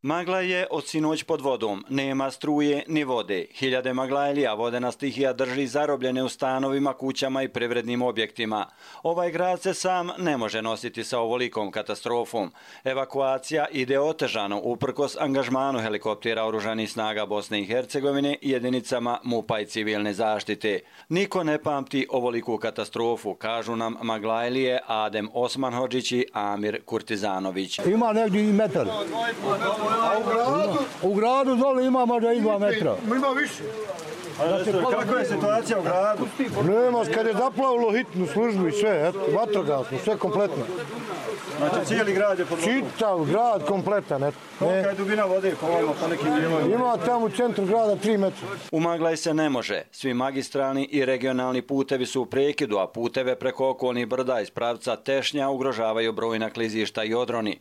Magla je od sinoć pod vodom, nema struje ni vode. Hiljade Maglajlija vodena stihija drži zarobljene u stanovima, kućama i privrednim objektima. Ovaj grad se sam ne može nositi sa ovolikom katastrofom. Evakuacija ide otežano uprkos angažmanu helikoptera oružanih snaga Bosne i Hercegovine i jedinicama MUP-a i civilne zaštite. Niko ne pamti ovoliku katastrofu, kažu nam Maglajlije Adem Osmanhodžić i Amir Kurtizanović. Ima negdje i metar. U gradu dole ima možda i 2 metra. Ima više. Kakva je situacija u gradu? Nema, kad je zaplavilo hitnu službu i sve, vatrogasno, sve kompletno. Znači cijeli grad je pod vodom? Čitav grad kompletan. Kolika je dubina vode po nekim dijelovima? Ima tamo u centru grada 3 metra. U Maglaj se ne može. Svi magistralni i regionalni putevi su u prekidu, a puteve preko okolnih brda iz pravca Tešnja ugrožavaju brojna klizišta i odroni.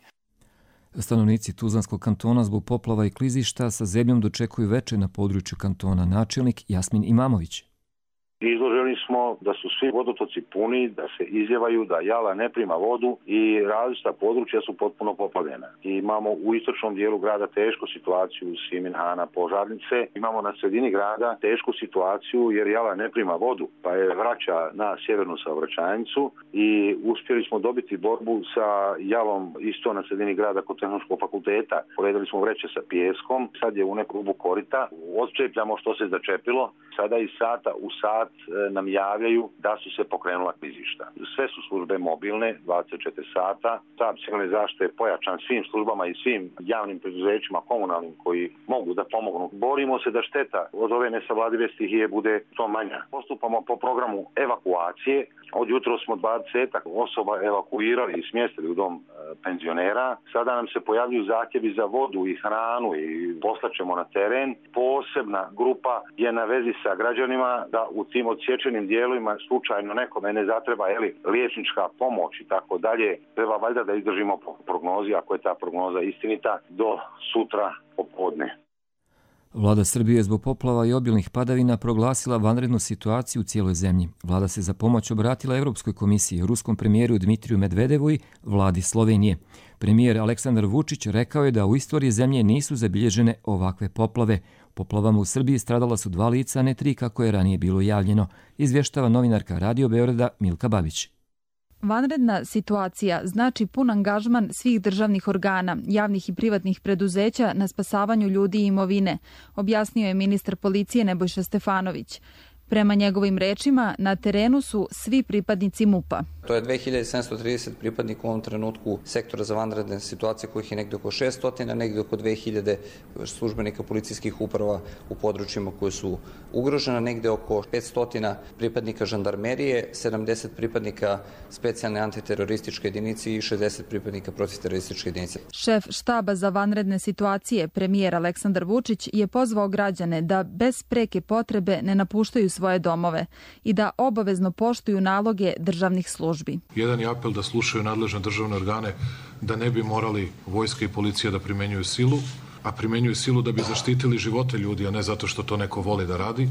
Stanovnici Tuzlanskog kantona zbog poplava i klizišta sa zebljom dočekuju večer na području kantona. Načelnik Jasmin Imamović. Izloženi smo da su svi vodotoci puni, da se izljevaju, da Jala ne prima vodu i različita područja su potpuno poplavljena. I imamo u istočnom dijelu grada tešku situaciju Simin, Hana, Požarnice. Imamo na sredini grada tešku situaciju jer Jala ne prima vodu, pa je vraća na sjevernu saobraćajnicu i uspjeli smo dobiti borbu sa Jalom isto na sredini grada kod Tehnološkog fakulteta. Poredili smo vreće sa pijeskom, sad je u neku rubu korita, odčepljamo što se začepilo, sada iz sata u sat nam javljaju da su se pokrenula klizišta. Sve su službe mobilne, 24 sata. Štab civilne zaštite je pojačan svim službama i svim javnim preduzećima, komunalnim koji mogu da pomognu. Borimo se da šteta od ove nesavladive stihije bude što manja. Postupamo po programu evakuacije. Od jutro smo 20 osoba evakuirali i smjestili u dom penzionera. Sada nam se pojavljuju zahtjevi za vodu i hranu i poslaćemo na teren. Posebna grupa je na vezi sa građanima da u tim odsječenim dijelovima slučajno nekome ne zatreba liječnička pomoć i tako dalje. Treba valjda da izdržimo prognozi, ako je ta prognoza istinita, do sutra popodne. Vlada Srbije zbog poplava i obilnih padavina proglasila vanrednu situaciju u cijeloj zemlji. Vlada se za pomoć obratila Europskoj komisiji, ruskom premijeru Dmitriju Medvedevu i vladi Slovenije. Premijer Aleksandar Vučić rekao je da u istoriji zemlje nisu zabilježene ovakve poplave. Poplavama u Srbiji stradala su 2 lica, a ne 3 kako je ranije bilo javljeno, izvještava novinarka Radio Beograda Milka Babić. Vanredna situacija znači pun angažman svih državnih organa, javnih i privatnih preduzeća na spasavanju ljudi i imovine, objasnio je ministar policije Nebojša Stefanović. Prema njegovim rečima, na terenu su svi pripadnici MUP-a. To je 2730 pripadnika u ovom trenutku sektora za vanredne situacije, kojih je negdje oko 600, negdje oko 2000 službenika policijskih uprava u područjima koje su ugrožena, negdje oko 500 pripadnika žandarmerije, 70 pripadnika specijalne antiterorističke jedinice i 60 pripadnika protiterorističke jedinice. Šef štaba za vanredne situacije, premijer Aleksandar Vučić, je pozvao građane da bez preke potrebe ne napuštaju svoje domove i da obavezno poštuju naloge državnih službi. Jedan je apel da slušaju nadležne državne organe, da ne bi morali vojska i policija da primenjuju silu, a primenjuju silu da bi zaštitili živote ljudi, a ne zato što to neko voli da radi.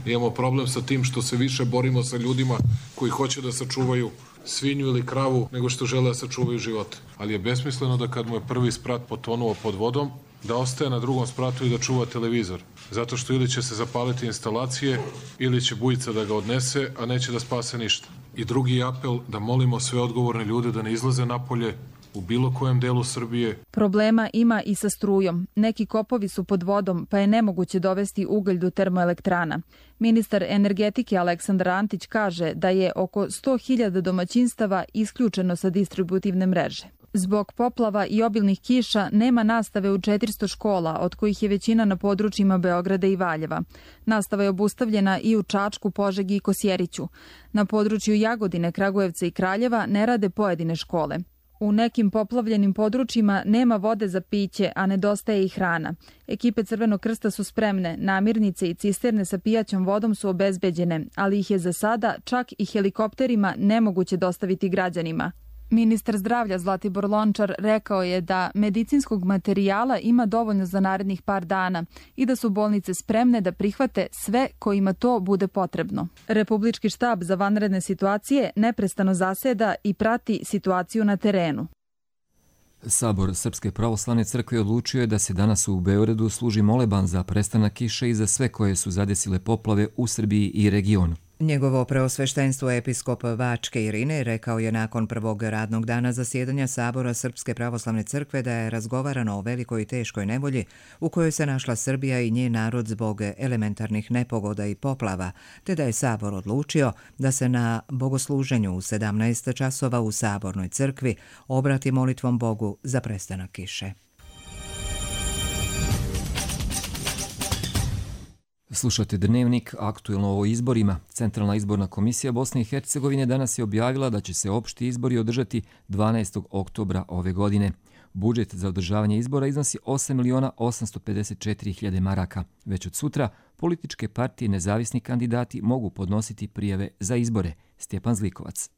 Imamo problem sa tim što se više borimo sa ljudima koji hoće da sačuvaju svinju ili kravu nego što žele da sačuvaju živote. Ali je besmisleno da kad mu je prvi sprat potonuo pod vodom, da ostaje na drugom spratu i da čuva televizor. Zato što ili će se zapaliti instalacije, ili će bujica da ga odnese, a neće da spase ništa. I drugi apel da molimo sve odgovorne ljude da ne izlaze napolje u bilo kojem delu Srbije. Problema ima i sa strujom. Neki kopovi su pod vodom, pa je nemoguće dovesti ugalj do termoelektrana. Ministar energetike Aleksandar Antić kaže da je oko 100.000 domaćinstava isključeno sa distributivne mreže. Zbog poplava i obilnih kiša nema nastave u 400 škola, od kojih je većina na područjima Beograda i Valjeva. Nastava je obustavljena i u Čačku, Požegi i Kosjeriću. Na području Jagodine, Kragujevca i Kraljeva ne rade pojedine škole. U nekim poplavljenim područjima nema vode za piće, a nedostaje i hrana. Ekipe Crvenog krsta su spremne, namirnice i cisterne sa pijaćom vodom su obezbeđene, ali ih je za sada čak i helikopterima nemoguće dostaviti građanima. Ministar zdravlja Zlatibor Lončar rekao je da medicinskog materijala ima dovoljno za narednih par dana i da su bolnice spremne da prihvate sve kojima to bude potrebno. Republički štab za vanredne situacije neprestano zaseda i prati situaciju na terenu. Sabor Srpske pravoslavne crkve odlučio je da se danas u Beogradu služi moleban za prestanak kiše i za sve koje su zadesile poplave u Srbiji i regionu. Njegovo preosveštenstvo episkop Bačke Irine rekao je nakon prvog radnog dana zasjedanja Sabora Srpske pravoslavne crkve da je razgovarano o velikoj i teškoj nevolji u kojoj se našla Srbija i njen narod zbog elementarnih nepogoda i poplava, te da je Sabor odlučio da se na bogosluženju u 17 časova u Sabornoj crkvi obrati molitvom Bogu za prestanak kiše. Slušate Dnevnik, aktuelno o izborima. Centralna izborna komisija Bosne i Hercegovine danas je objavila da će se opšti izbori održati 12. oktobra ove godine. Budžet za održavanje izbora iznosi 8.854.000 maraka. Već od sutra političke partije i nezavisni kandidati mogu podnositi prijave za izbore. Stjepan Zlikovac.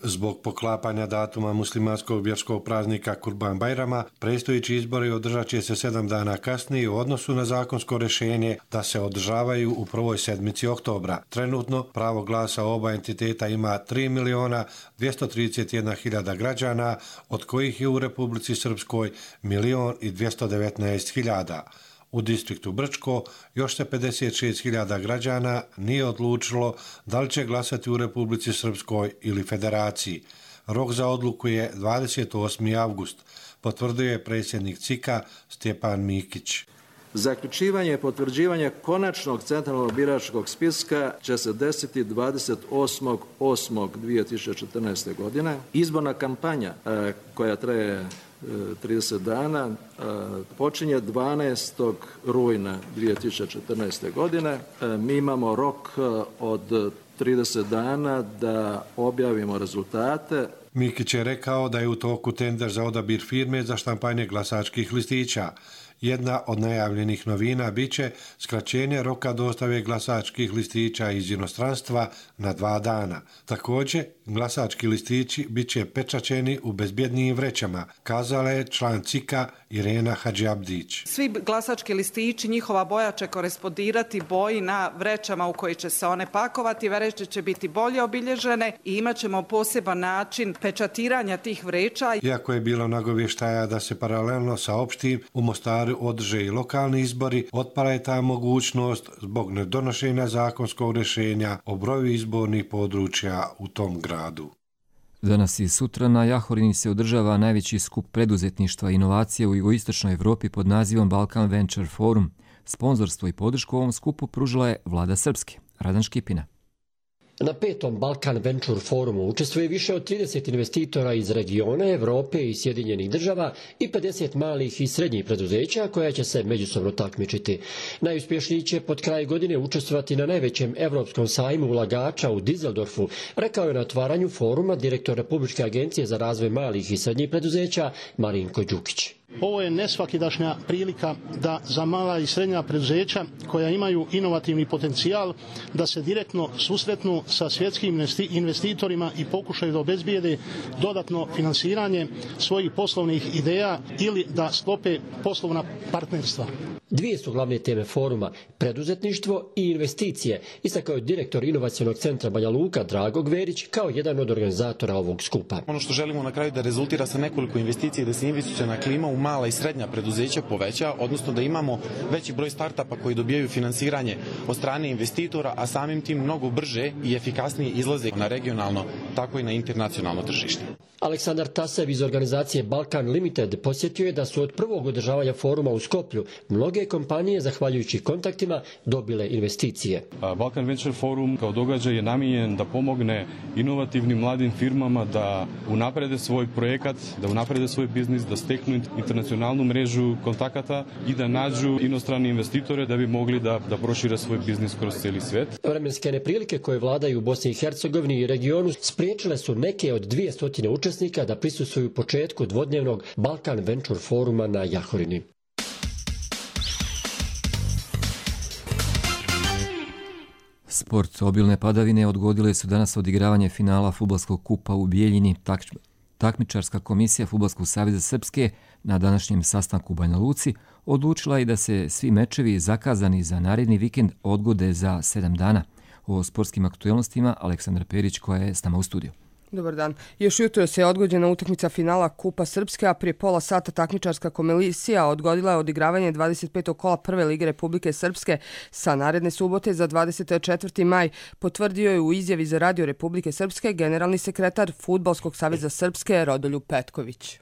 Zbog poklapanja datuma muslimanskog vjerskog praznika Kurban Bajrama, predstojeći izbori održat će se 7 dana kasnije u odnosu na zakonsko rješenje da se održavaju u prvoj sedmici oktobra. Trenutno pravo glasa oba entiteta ima 3.231.000 građana, od kojih je u Republici Srpskoj 1.219.000. U distriktu Brčko još se 56.000 građana nije odlučilo da li će glasati u Republici Srpskoj ili Federaciji. Rok za odluku je 28. avgust, potvrdio je predsjednik CIK-a Stjepan Mikić. Zaključivanje i potvrđivanje konačnog centralnog biračkog spiska će se desiti 28.8.2014. godine. Izborna kampanja koja traje 30 dana počinje 12. rujna 2014. godine. Mi imamo rok od 30 dana da objavimo rezultate. Mikić je rekao da je u toku tender za odabir firme za štampanje glasačkih listića. Jedna od najavljenih novina biće skraćenje roka dostave glasačkih listića iz inostranstva na 2 dana. Također, glasački listići biće pečaćeni u bezbjednijim vrećama, kazala je član CIK-a Irena Hadžiabdić. Svi glasački listići, njihova boja će korespondirati boji na vrećama u koji će se one pakovati. Vreće će biti bolje obilježene i imat ćemo poseban način pečatiranja tih vreća. Iako je bilo nagovještaja da se paralelno sa opštim u Mostaru održe i lokalni izbori, otpala je ta mogućnost zbog nedonošenja zakonskog rješenja o broju izbornih područja u tom gradu. Danas i sutra na Jahorini se održava najveći skup preduzetništva i inovacije u jugoistočnoj Evropi pod nazivom Balkan Venture Forum. Sponzorstvo i podršku ovom skupu pružila je vlada Srpske. Radan Škipina. Na 5. Balkan Venture Forumu učestvuje više od 30 investitora iz regiona, Evrope i Sjedinjenih država i 50 malih i srednjih preduzeća koja će se međusobno takmičiti. Najuspješniji će pod kraj godine učestvovati na najvećem evropskom sajmu ulagača u Dizeldorfu, rekao je na otvaranju foruma direktor Republičke agencije za razvoj malih i srednjih preduzeća Marinko Đukić. Ovo je nesvakidašnja prilika da za mala i srednja preduzeća koja imaju inovativni potencijal da se direktno susretnu sa svjetskim investitorima i pokušaju da obezbijede dodatno finansiranje svojih poslovnih ideja ili da sklope poslovna partnerstva. Dvije su glavne teme foruma, preduzetništvo i investicije, istakao je direktor inovacionog centra Banja Luka Drago Gverić kao jedan od organizatora ovog skupa. Ono što želimo na kraju da rezultira sa nekoliko investicija, da se investiciona klima u mala i srednja preduzeća poveća, odnosno da imamo veći broj startapa koji dobijaju finansiranje od strane investitora, a samim tim mnogo brže i efikasnije izlaze na regionalno, tako i na internacionalno tržište. Aleksandar Tasev iz organizacije Balkan Limited posjetio je da su od prvog održavanja foruma u Skoplju mnoge kompanije, zahvaljujući kontaktima, dobile investicije. Balkan Venture Forum kao događaj je namijenjen da pomogne inovativnim mladim firmama da unaprede svoj projekat, da unaprede svoj biznis, da steknu internacionalnu mrežu kontakata i da nađu inostrane investitore da bi mogli da prošire svoj biznis kroz cijeli svijet. Vremenske neprilike koje vladaju u Bosni i Hercegovini i regionu spriječile su neke od 200 učesnika da prisustvuju početku dvodnevnog Balkan Venture Foruma na Jahorini. Sport. Obilne padavine odgodile su danas odigravanje finala fudbalskog kupa u Bijeljini. Takmičarska komisija Fudbalskog saveza Srpske na današnjem sastanku u Banja Luci odlučila je da se svi mečevi zakazani za naredni vikend odgode za 7 dana. O sportskim aktuelnostima Aleksandra Perić koja je s nama u studiju. Dobar dan. Još jutro se je odgođena utakmica finala Kupa Srpske, a prije pola sata takmičarska komisija odgodila je odigravanje 25. kola Prve lige Republike Srpske sa naredne subote za 24. maj, potvrdio je u izjavi za Radio Republike Srpske generalni sekretar Fudbalskog saveza Srpske Rodoljub Petković.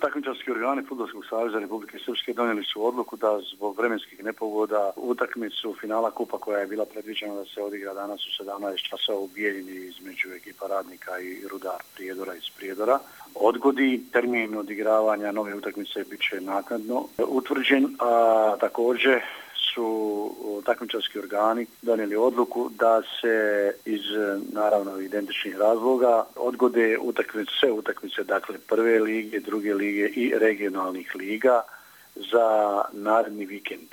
Takmičarski organi Fudbalskog saveza Republike Srpske donijeli su odluku da zbog vremenskih nepogoda utakmicu finala kupa koja je bila predviđena da se odigra danas u 17 časova u Bijeljini između ekipa Radnika i Rudar Prijedora iz Prijedora odgodi. Termin odigravanja nove utakmice bit će naknadno utvrđen, a također su takmičarski organi donijeli odluku da se iz naravno identičnih razloga odgode sve utakmice, dakle Prve lige, Druge lige i regionalnih liga za naredni vikend.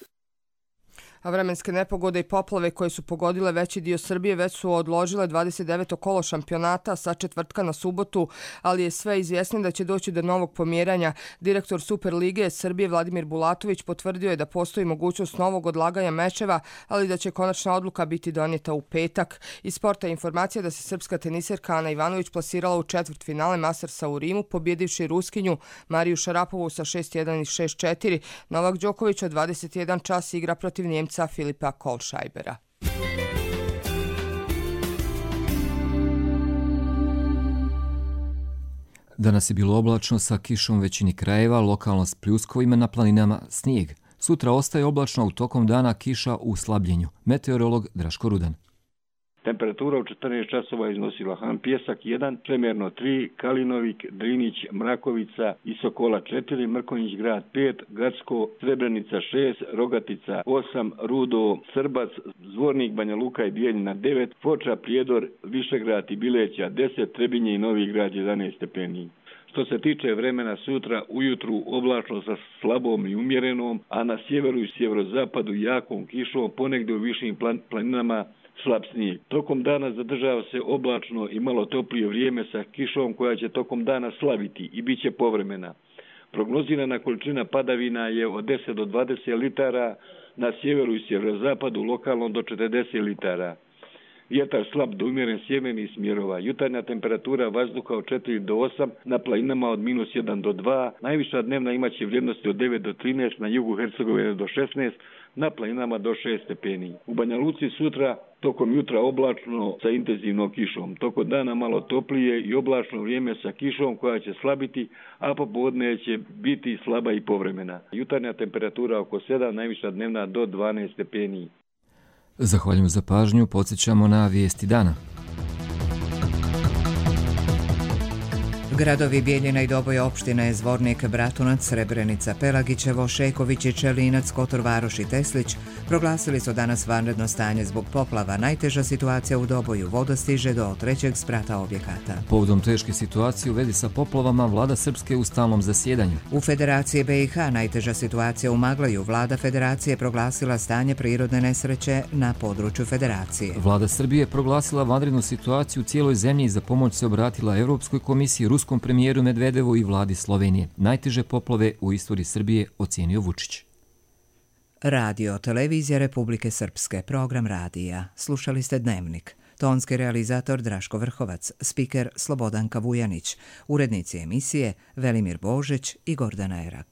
A vremenske nepogode i poplave koje su pogodile veći dio Srbije već su odložile 29. kolo šampionata sa četvrtka na subotu, ali je sve izvjesno da će doći do novog pomjeranja. Direktor Superlige Srbije Vladimir Bulatović potvrdio je da postoji mogućnost novog odlaganja mečeva, ali da će konačna odluka biti donijeta u petak. Iz sporta je informacija da se srpska teniserka Ana Ivanović plasirala u četvrtfinale Mastersa u Rimu, pobjedivši Ruskinju Mariju Šarapovu sa 6-1 i 6-4. Novak Đoković od 21 čas igra protiv Njemca Filipa Kohlscheibera. Danas je bilo oblačno sa kišom u većini krajeva, lokalno s pljuskovima, na planinama snijeg. Sutra ostaje oblačno, u tokom dana kiša u slabljenju. Meteorolog Draško Rudan. Temperatura u 14 časova iznosila Han Pjesak 1, Čemerno 3, Kalinovik, Drinić, Mrakovica i Sokola 4, Mrkonjić grad 5, Gacko, Srebrenica 6, Rogatica 8, Rudo, Srbac, Zvornik, Banja Luka i Bijeljina 9, Foča, Prijedor, Višegrad i Bileća 10, Trebinje i Novi grad 11 stepeni. Što se tiče vremena sutra, ujutru oblačno sa slabom i umjerenom, a na sjeveru i sjeverozapadu jakom kišom, ponegdje u višim planinama slab snijeg. Tokom dana zadržava se oblačno i malo toplije vrijeme sa kišom koja će tokom dana slaviti i bit će povremena. Prognozirana količina padavina je od 10 do 20 litara, na sjeveru i sjeverozapadu lokalno do 40 litara. Vjetar slab do umjeren sjevernih smjerova. Jutarnja temperatura vazduha od 4 do 8, na planinama od -1 do 2, najviša dnevna imaće vrijednosti od 9 do 13, na jugu Hercegovine do 16, na planinama do 6 stepeni. U Banja Luci sutra tokom jutra oblačno sa intenzivnom kišom. Tokom dana malo toplije i oblačno vrijeme sa kišom koja će slabiti, a popodne će biti slaba i povremena. Jutarnja temperatura oko 7, najviša dnevna do 12 stepeni. Zahvaljujem za pažnju, podsjećamo na vijesti dana. Gradovi Bijeljina i Doboj opštine Zvornik, Bratunac, Srebrenica, Pelagićevo, Šeković i Čelinac, Kotor Varoš i Teslić proglasili su danas vanredno stanje zbog poplava. Najteža situacija u Doboju, voda stiže do 3. sprata objekata. Povodom teške situacije u vezi sa poplavama vlada Srpske u stalnom zasjedanju. U Federaciji BiH najteža situacija u Maglaju. Vlada Federacije proglasila stanje prirodne nesreće na području Federacije. Vlada Srbije proglasila vanrednu situaciju u cijeloj zemlji i za pomoć se obratila Evropskoj komisiji, ruskom premijeru Medvedevu i vladi Slovenije. Najteže poplave u istoriji Srbije ocijenio Vučić. Radio Televizija Republike Srpske, program radija. Slušali ste Dnevnik. Tonski realizator Draško Vrhovac, spiker Slobodanka Vujanić, urednici emisije Velimir Božić i Gordana Erak.